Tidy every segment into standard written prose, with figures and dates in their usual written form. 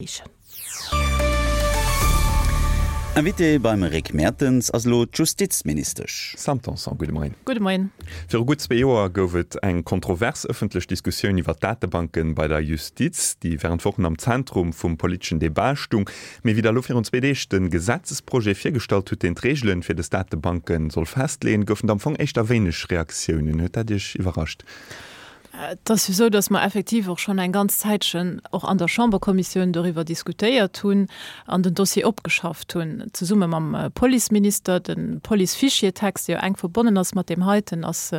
Eechen. Invité beim Rick Mertens ass elo d'Justizministesch. Sam Tanson, gudde Moien. Gudde Moien. Viru gutt zwee Joer gouf et eng kontrovers ëffentlech Diskussioun iwwer d'Datebanke bei der Justiz, déi wärend Wochen am Zentrum vum politeschen Debat stung. Mee wéi Der elo virun zwee Deeg de Gesetzesprojet virgestallt hutt, deen d'Reegele fir dës Datebanke soll festleeën, goufen et am Fong éischter wéineg Reaktiounen. Huet dat Iech iwwerrascht? Et ass jo esou, datt mer effektiv och schonn eng ganz Zäitchen och an der Chamberkommissioun doriwwer diskutéiert hunn an den Dossier opgeschafft hunn, zesumme mam Policeminister. De Police-Fichier-Text, dee jo enk verbonnen ass mat deem heiten, ass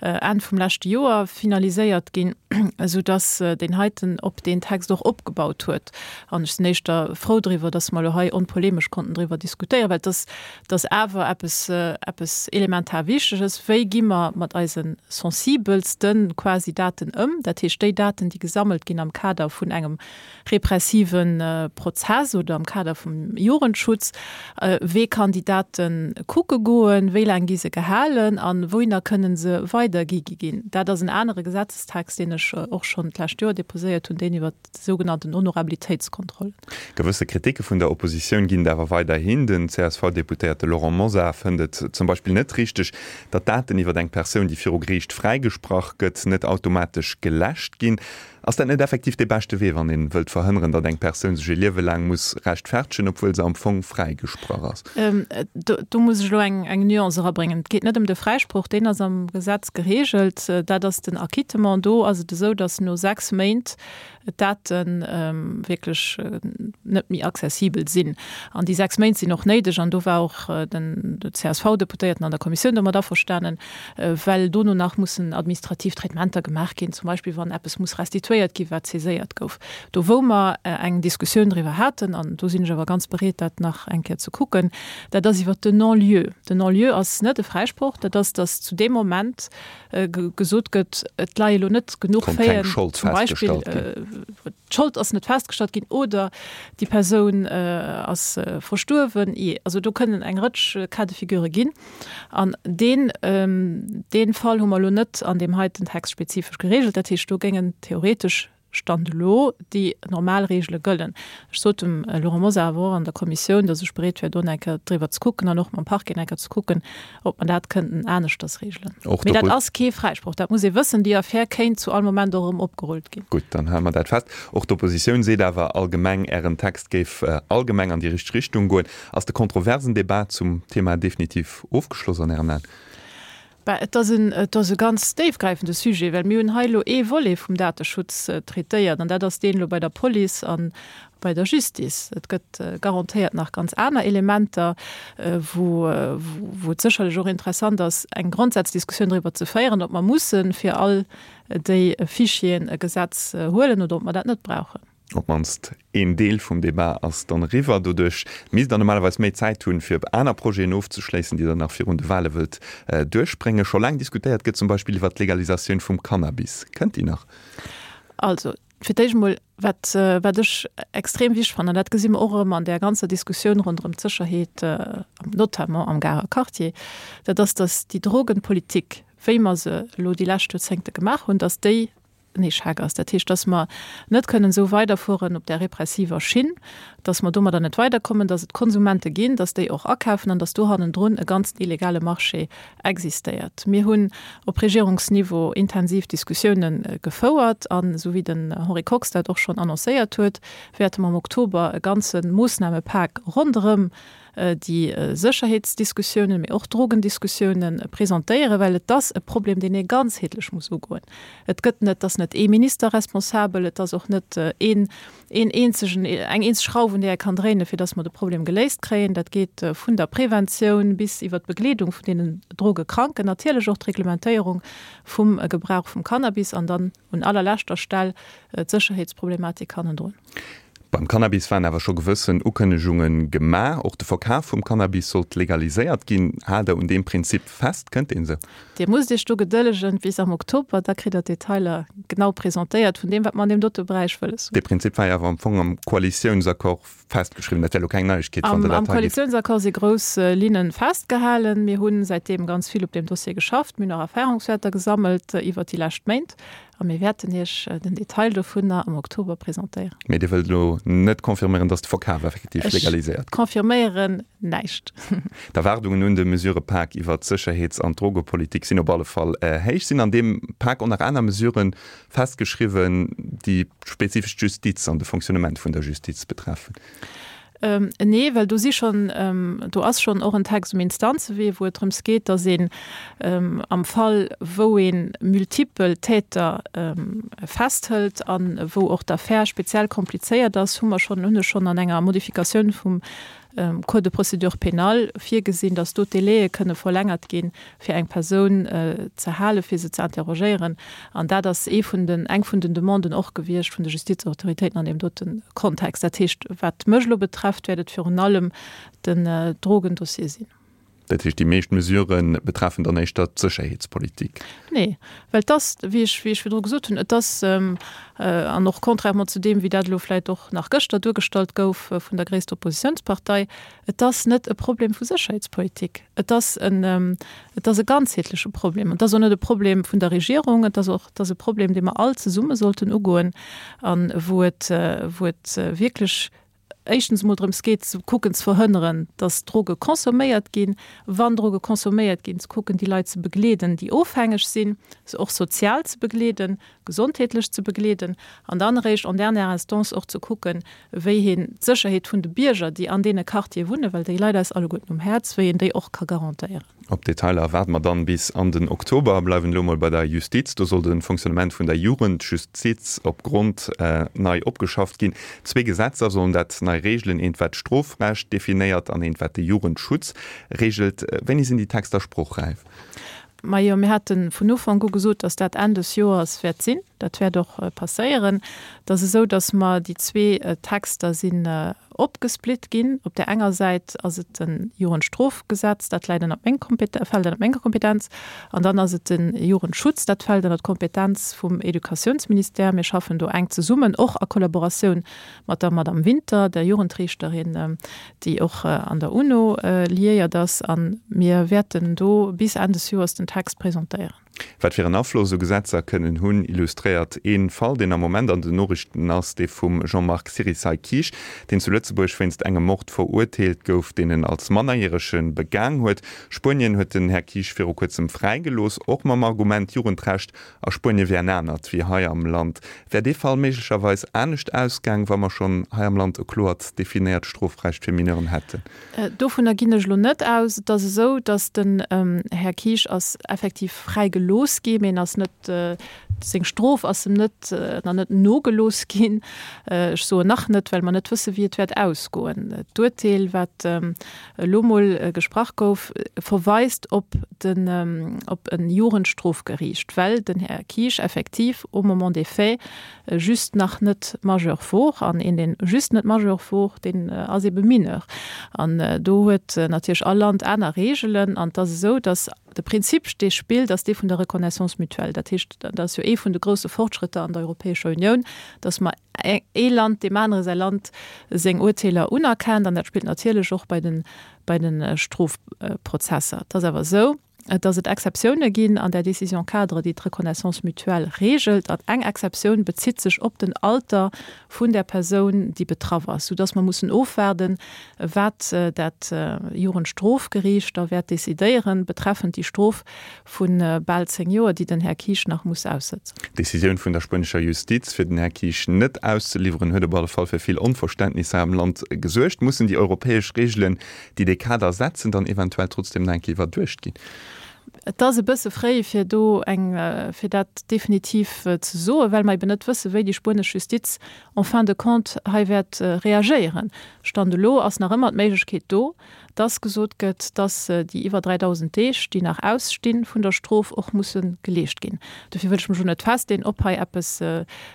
Enn vum leschte Joer finaliséiert ginn, esoudatt deen heiten op deen Text och opgebaut huet. An ech sinn éischter frou driwwer, datt mer elo hei onpolemesch konnten driwwer diskutéieren, well et ass Et ass awer eppes, eppes elementar Wichteges, Wéi gi mer mat eise sensibelste quasi Daten ëm? Dat heescht, déi Daten, déi gesammelt ginn am Kader vun engem repressive Prozess oder am Kader vum Jugendschutz. Wee kann déi Date kucke goen? Wéi laang gi se gehalen? A wouhinner kënnen se weidergi gi ginn? Dat ass en anere Gesetzestext, deen ech och schonn d'lescht Joer deposéiert hunn, deen iwwert sougenannten Honorabilitéitskontrollen. Gewësse Kriticke vun der Oppositioun ginn et awer weiderhin. Den CSV-Deputéierte Laurent Mosar fënnt et zum Beispill net richteg, datt Daten iwwer eng Persoun, déi viru Geriicht fräigesprach gëtt, net automatesch geläscht ginn. Ass dat net effektiv dee beschte Wee, wann ee wëllt verhënneren, datt eng Persoun sech e Liewe laang muss rechtfertegen, obwuel se am Fong fräigesprach ass? Do muss ech elo eng Nuance erabréngen. Et geet net ëm de Fräisproch, deen ass am Gesetz gereegelt. Dat ass den Acquittement. Do ass et esou, datt no 6 Méint d'Date wierklech net méi accessibel sinn. An déi 6 Méint sinn och néideg, an do war och den CSV-Deputéierten an der Kommissioun domat averstanen, well dono nach mussen administrativ Traitementer gemaach ginn, zum Beispill wann eppes muss restituéiert ginn, wat saiséiert gouf. Do wou mer eng Diskussioun driwwer haten, an do sinn ech awer ganz bereet, dat nach eng Kéier ze kucken, dat ass iwwert den Non-lieu. Den Non-lieu ass net e Fräisproch, dat ass, datt zu deem Moment, gesot gëtt, et leie elo net genuch Faiten, zum Beispill d'Schold ass net festgestallt ginn oder déi Persoun ass verstuerwen. Also do kënnen eng Rëtsch Cas de figure ginn. An deen, dee Fall hu mer elo net an deem heiten Text spezifesch geregelt. Dat heescht, do géingen theoretesch Stand elo déi normal Reegele gëllen. Ech sot dem Laurent Mosar awer och an der Kommissioun, datt ech bereet wär, do eng Kéier driwwer ze kucken an och mam Parquet eng Kéier ze kucken, ob mer dat kënnten aneschters reegelen. Mee dat ass kee Fräisproch, dat muss ee wëssen. Déi Affär kéint zu all Moment och erëm opgerullt ginn. Gutt, dann hale mer dat fest. Och d'Oppositioun seet awer allgemeng, Ären Text géif allgemeng an déi richteg Richtung goen. Ass de kontroversen Debat zum Thema definitiv ofgeschloss an Ären Aen? Bah, et ass en, et ass e ganz déifgräifende Sujet, well mir hunn hei elo ee Volet vum Dateschutz traitéiert, an dat ass deen elo bei der Police a bei der Justice. Et gëtt garantéiert nach ganz aner Elementer, wou, wou et sécherlech och interessant ass, eng Grondsazdiskussioun driwwer ze féieren, ob mer musse fir all déi Fichieren e Gesetz huelen oder ob mer dat net brauchen. Op d'mannst een Deel vum Debat ass dann eriwwer. Doduerch misst Der normalerweis méi Zäit hunn, fir aner Projeten ofzeschléissen, déi Der nach virun de Wale wëllt duerchbréngen. Scho laang diskutéiert gëtt zum Beispill iwwert d'Legalisatioun vum Cannabis. Kënnt déi nach? Also, fir d'éischt emol, wat, wat ech extrem wichteg fannen, an dat gesi mer och erëm an där ganzer Diskussioun ronderëm d'Sécherheet, notamment am Garer Quartier, dat ass, dass déi Drogenpolitik, wéi mer se elo déi lescht Joerzéngte gemaach hunn, dass déi en Echec ass. Dat heescht, dass mer net kënnen esou weiderfueren op där repressiver Schinn, dass mer domadder net weiderkommen, dass et Konsumente ginn, dass déi och akafen an dass do hannendrun e ganzen illegale Marché existéiert. Mir hunn op Regierungsniveau intensiv Diskussiounen gefouert an, esou wéi den Henri Kox dat och schonn annoncéiert huet, wäerte mer am Oktober e ganze Moossnamepak ronderëm déi Sécherheetsdiskussiounen, mee och d'Drogendiskussiounen presentéieren, well et ass e Problem, deen ee ganzheetlech muss ugoen. Et gëtt net, et ass net ee Minister responsabel, et ass och net een, een eenzegen, eng eenzeg Schrauf, un där ee kann dréinen, fir datt mer de Problem geléist kréien. Dat geet vun der Preventioun bis iwwert d'Begleedung vun deenen Drogekranken, natierlech och d'Reglementéierung vum Gebrauch vum Cannabis an dann un allerleschter Stell d'Sécherheetsproblematik hannendrun. Beim Cannabis waren awer scho gewëssen Ukënnegunge gemaach. Och de Verkaf vum Cannabis sollt legaliséiert ginn. Haalt Der un deem Prinzip fest? Kënnt deen esou? Dir musst Iech do gedëllegen bis am Oktober, da kritt Der d'Detailer genau presentéiert vun deem, wat mer an deem dote Beräich wëlles hunn. Dee Prinzip war jo awer am Fong am Koalitiounsaccord festgeschriwwen. Dat wär elo keng Neiegkeet, wann Der dat hei gitt. Am Koalitiounsaccord si grouss Linne festgehalen. Mir hu säitdeem ganz vill op deem Dossier geschafft. Mir hunn och Erfahrungswäerter gesammelt iwwert déi lescht Méint. A mir wäerten Iech den Detail dovunner am Oktober presentéieren. Mee Dir wëllt elo net confirméieren, dass de Verkaf effektiv legaliséiert gëtt? Ech confirméieren näischt. D'Erwaardungen un de Mesurëpak iwwert d'Sécherheets an d'Drogepolitik sinn op alle Fall héich. Sinn an deem Pak och nach aner Mesurë festgeschriwwen, déi spezifesch d'Justiz an de Fonctionnement vun der Justiz betreffen? Nee, well do si schonn, do ass schonn och en Text um Instanzewee, wou et drëms geet, datt een am Fall, wou ee multipel Täter festhëlt a wou och d'Affär speziell komplizéiert ass, hu mer schonn, hunn ech schonn an enger Modifikatioun vum Code de procédure pénale virgesinn, datt do d'Délaië kënne verlängert ginn, fir eng Persoun ze halen, fir se ze interrogéieren. An dat ass ee vun den, eng vun den Demanden och gewiescht vun de Justizautoritéiten an deem dote Kontext. Dat heescht, wat mech elo betrefft, wäert et virun allem den Drogendossier sinn. Dat heescht, déi meescht Mesurë betreffen dann éischter d'Sécherheetspolitik? Nee, well et ass, wéi ech, wéi ech virdru gesot hunn, et ass, an och contrairement zu deem, wéi dat elo vläicht och nach gëschter duergestallt gouf vun der gréisster Oppositionspartei, Et ass net e Problem vu Sécherheetspolitik, et ass en, et ass e ganzheetleche Problem. Et ass och net e Problem vun der Regierung, et ass och, et ass e Problem, dee mer all zesumme sollten ugoen a wou et, wou et wierklech éischtens emol drëms geet ze kucken ze verhënneren, dass Droge consomméiert ginn, wann Droge consomméiert ginn, ze kucken déi Leit ze begleeden, déi ofhängeg sinn, se och sozial ze begleeden, gesondheetlech ze begleeden an dann eréischt en dernière instance och ze kucken, wéi een d'Sécherheet vun de Bierger, déi an deene Quartiere wunnen, well déi leit eis alleguerten um Häerz, wéi een déi och ka garantéieren. Op d'Detailer waarde mer dann bis an den Oktober a bleiwen elo mol bei der Justiz. Do soll de Fonctionnement vun der Jugendjustiz op Grond nei opgeschafft ginn. Zwee Gesetzer sollen dat nei reegelen, eent wat d'Strofrecht definéiert an eent wat de Jugendschutz reegelt. Wéini sinn déi Texter sprochräif? Majo, mir hate vun Ufank u gesot, datt dat Enn des Joers wäert sinn. Dat wäert och passéieren. Et ass esou, datt mer déi zwee Texter sinn opgesplitt ginn. Op där enger Säit ass et de Jugendstrofgesetz, dat läit ënnert meng Kompetenz, fält ënnert menger Kompetenz. An dann ass et de Jugendschutz, dat fält ënnert d'Kompetenz vum Educatiounsministère. Mir schaffen do enk zesummen, och a Kollaboratioun mat der Madame Winter, der Jugendriichterin, déi och an der UNO liéiert ass, a mir wäerten do bis Enn des Joers den Text presentéieren. Wat fir en Afloss esou Gesetzer kënnen hunn, illustréiert ee Fall, deen am Moment an den Noriichten ass, dee vum Jean-Marc Sirisay-Kiesch, deen zu Lëtzebuerg wéinst engem Mord verurteelt gouf, deen en als Mannerjärege begaang huet. Spuenien huet den Här Kiesch viru kuerzem fräigelooss, och mam Argument, d'Jugendrecht A Spuenie wär en anert wéi hei am Land. Wär dee Fall méiglecherweis anescht ausgaang, wa mer schonn hei am Land e kloert definéiert Strofrecht fir Mineuren hätten? Dovunner ginn ech elo net aus. Et ass esou, datt den Här Kiesch ass effektiv fräi gelooss gi, mee en ass net, seng Strof ass em net, nach net nogelooss ginn. Ech soen nach net, well mer net wësse wéi et wäert ausgoen. D'Urteel, wat elo mol gesprach gouf, verweist op den, op e Jugendstrofgeriicht, well den Här Kiesch effektiv au moment des faits just nach net majeur wor. An een, deen just net majeur wor, deen ass ebe Mineur. An do huet natierlech all Land aner Reegelen. An et ass esou, dass de Prinzip, dee spillt, ass dee vun der Reconnaissance mutuelle. Dat heescht, dat ass jo ee vun de grousse Fortschrëtter an der Europäescher Unioun, dass mer ee Land deem anere säi Land seng Urteeler unerkennt, an dat spillt natierlech och bei de bei de Strofprozesser. Et ass awer esou, datt et Exceptioune ginn an där Décision-cadre, déi d'Reconnaissance mutuelle reegelt, an eng Exceptioun bezitt sech op den Alter vun där Persoun, déi betraff ass, soudatt mer mussen ofwaarden, wat dat Jugendstrofgeriicht da wäert decidéieren betreffend déi Strof vu bal 10 Joer, déi den Här Kiesch nach muss aussëtzen. D'Decisioun vun der spuenescher Justiz, fir den Här Kiesch net auszeliwweren, huet op alle Fall fir vill Onverständnis hei am Land gesuergt. Mussen déi europäesch Reegelen, déi dee Kader setzen, dann eventuell trotzdem nach eng Kéier iwwerduecht ginn? Et ass e bësse fréi, fir do eng, fir dat definitiv ze soen, well mer eben net wëssen, wéi déi spuenesch Justiz en fin de compte hei wäert reagéieren. Stand elo ass nach ëmmer d'Méiglechkeet do, dass gesot gëtt, dass déi iwwer 3.000 Deeg, déi nach aussti vun der Strof, och musse geleescht ginn. Dofir wëll ech mech elo net festleeën, ob hei eppes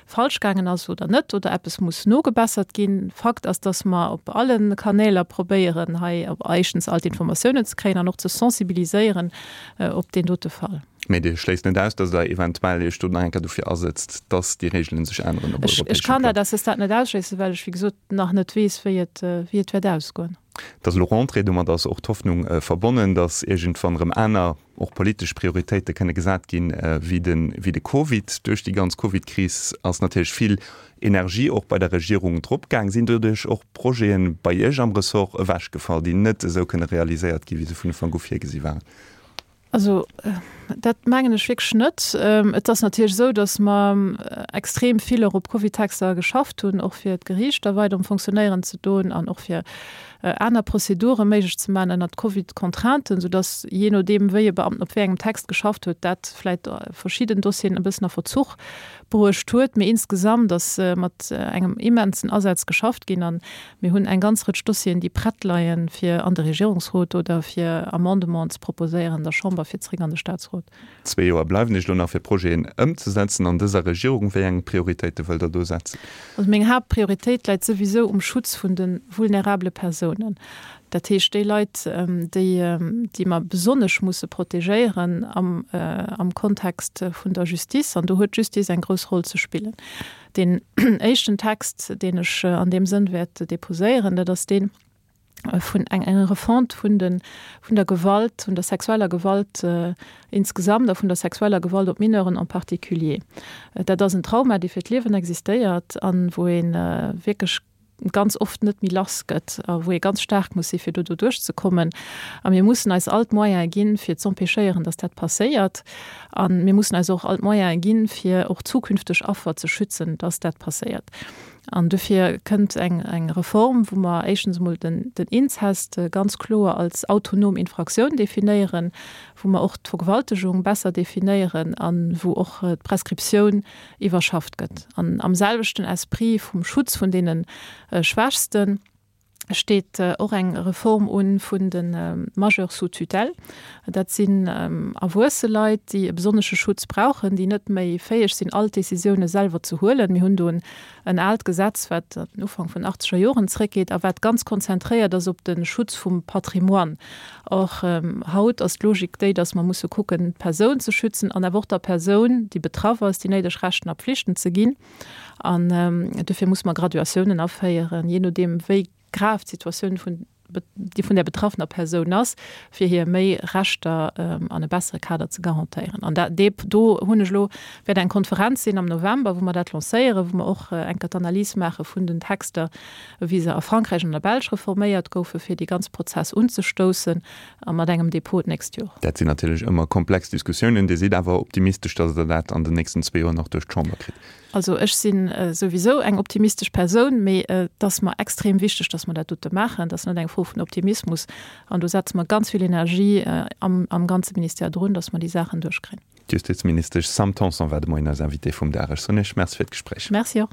falsch gaangen ass oder net oder eppes muss nogebessert ginn. Fakt ass, dass mer op alle Kanäler probéieren, hei éischtens all d'Informatiounen ze kréien an och ze sensibiliséieren op deen dote Fall. Mee Dir schléisst net aus, dass Der eventuell Iech do nach eng Kéier dofir asëtzt, dass déi Reegelen sech änneren op europäeschem Plang? Ech kann dat à ce stade net ausschléissen, well ech, wéi gesot, nach net weess, wéi et, wéi et wäert ausgoen. Et ass elo Rentrée, domat ass och d'Hoffnung verbonnen, datt iergendwann erëm aner, och politesch Prioritéite kënne gesat ginn, wéi de, wéi de Covid. Duerch déi ganz Covid-Kris ass natierlech vill Energie och bei der Regierung dropgaang. Sinn doduerch och Projete bei Iech am Ressort ewechgefall, déi net esou kënne realiséiert ginn, wéi se vun Ufank u virgesi waren? Also dat mengen ech wierklech net. Et ass natierlech esou, datt mer extrem vill och op Covid-Texter geschafft hunn, och fir d'Geriichter weider um Fonctionnéieren ze doen an och fir aner Prozedure méiglech ze maachen ënnert Covid-Contrainten, soudatt jee nodeem wéi e Beamten op wéi engem Text geschafft huet, dat vläicht verschidden Dossieren e bëssen a Verzuch bruecht huet. Mee insgesamt ass mat engem immensen Asaz geschafft ginn an Mir hunn eng ganz Rëtsch Dossieren, déi prett leien, fir an de Regierungsrot oder fir Amendementen ze proposéieren der Chamber fir zréck an de Statsrot. Zwee Joer bleiwen Iech elo nach, fir Projeten ëmzesetzen an dëser Regierung. Wéi eng Prioritéite wëllt Der do setzen? Also meng Haaptprioritéit läit souwisou um Schutz vun de vulnerabele Persounen. Dat heescht déi Leit, déi, déi mer besonnesch musse protegéieren am, am Kontext vun der Justice. An do huet d'Justice eng grouss Roll ze spillen. Deen éischten Text, deen ech an deem Sënn wäert déposéieren, dat ass deen vun eng enger Refonte vun de vun der Gewalt, vun der sexueller Gewalt insgesamt a vun der sexueller Gewalt op Mineuren en particulier. Dat ass en Trauma, dee fir d'Liewen existéiert an wou ee wierklech ganz oft net méi lass gëtt a wou ee ganz staark muss si fir do doduerch ze kommen. A mir mussen eis all d'Moyene ginn, fir z'empêchéieren, datt dat passéiert. A mir mussen eis och all d'Moyene ginn, fir och zukünfteg Affer ze schützen, datt dat passéiert. An dofir kënnt eng eng Reform, wou mer éischtens emol den den Inzest ganz kloer als autonom Infraktioun definéieren, wou mer och d'Vergewaltegung besser definéieren a wou och d'Prescriptioun iwwerschafft gëtt. An am selwechten Esprit vum Schutz vun deene Schwächste steet och eng Reform un vun de Majeurs sous tutelle. Dat sinn erwuesse Leit, déi e besonnesche Schutz brauchen, déi net méi fäeg sinn, all d'Décisioune selwer ze huelen. Mir hunn do en aalt Gesetz, wat an den Ufank vun achtzeger Joren zréckgeet a wat ganz konzentréiert ass op de Schutz vum Patrimoine. Och haut ass d'Logik déi, dass mer musse kucken, d'Persoun ze schützen an awer och der Persoun, déi betraff ass, déi néideg Rechten a Pflichten ze ginn. An dofir musse mer Graduatiounen aféieren, jee nodeem wéi grav d'Situatioun vun déi vun där betraffener Persoun ass, fir hir méi Rechter an e bessere Kader ze garantéieren. An dat, dee, do hunn ech elo, wäert eng Konferenz sinn am November, wou mer dat lancéieren, wou mer och eng Kéier d'Analys maache vun den Texter, wéi se a Frankräich an der Belsch reforméiert goufen, fir dee ganze Prozess unzestoussen a mat engem Dépôt d'nächst Joer. Dat sinn natierlech ëmmer komplex Diskussiounen. Dir sidd awer optimistesch, datt Der dat an den nächsten zwee Joer nach duerch d'Chamber kritt? Also ech si souwisou eng optimistesch Persoun, mee et ass mer extrem wichteg, datt mer dat dote maachen. Dat ass net eng Fro vun Optimismus. An do setze mer ganz vill Energie am ganze Ministère drun, datt mer déi Saachen duerchkréien. D'Justizministesch Sam Tanson war de Moien eis Invitée vum Dag. Ech soen Iech Merci fir d'Gespréich. Merci och.